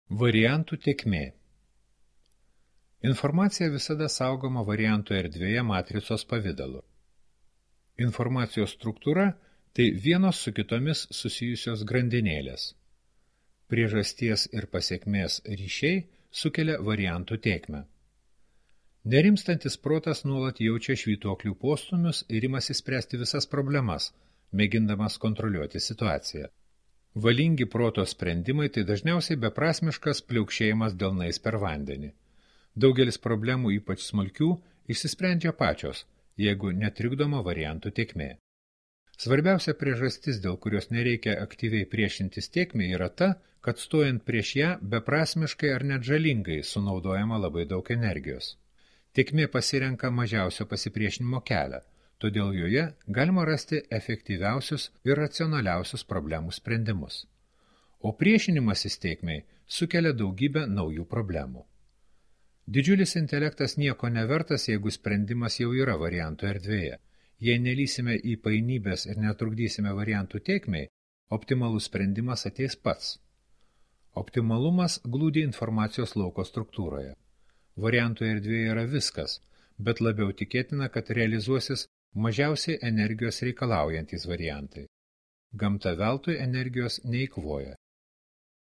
Variantų tėkmė. Informacija visada saugoma variantų erdvėje matricos pavidalu. Informacijos struktūra – tai vienos su kitomis susijusios grandinėlės. Priežasties ir pasekmės ryšiai sukelia variantų tėkmę. Nerimstantis protas nuolat jaučia švytuoklių postūmius ir imasi spręsti visas problemas, mėgindamas kontroliuoti situaciją. Valingi proto sprendimai tai dažniausiai beprasmiškas pliaukšėjimas delnais per vandenį. Daugelis problemų, ypač smulkių, išsisprendžia pačios, jeigu netrikdoma variantų tėkmė. Svarbiausia priežastis, dėl kurios nereikia aktyviai priešintis tėkmei, yra ta, kad stojant prieš ją beprasmiškai ar net žalingai sunaudojama labai daug energijos. Tėkmė pasirenka mažiausio pasipriešinimo kelią, todėl joje galima rasti efektyviausius ir racionaliausius problemų sprendimus. O priešinimasis tėkmei sukelia daugybę naujų problemų. Didžiulis intelektas nieko nevertas, jeigu sprendimas jau yra variantų erdvėje. Jei nelysime į painybės ir netrukdysime variantų tėkmei, optimalus sprendimas ateis pats. Optimalumas glūdi informacijos lauko struktūroje. Variantų erdvėje yra viskas, bet labiau tikėtina, kad realizuosis mažiausiai energijos reikalaujantys variantai. Gamta veltui energijos neįkvoja.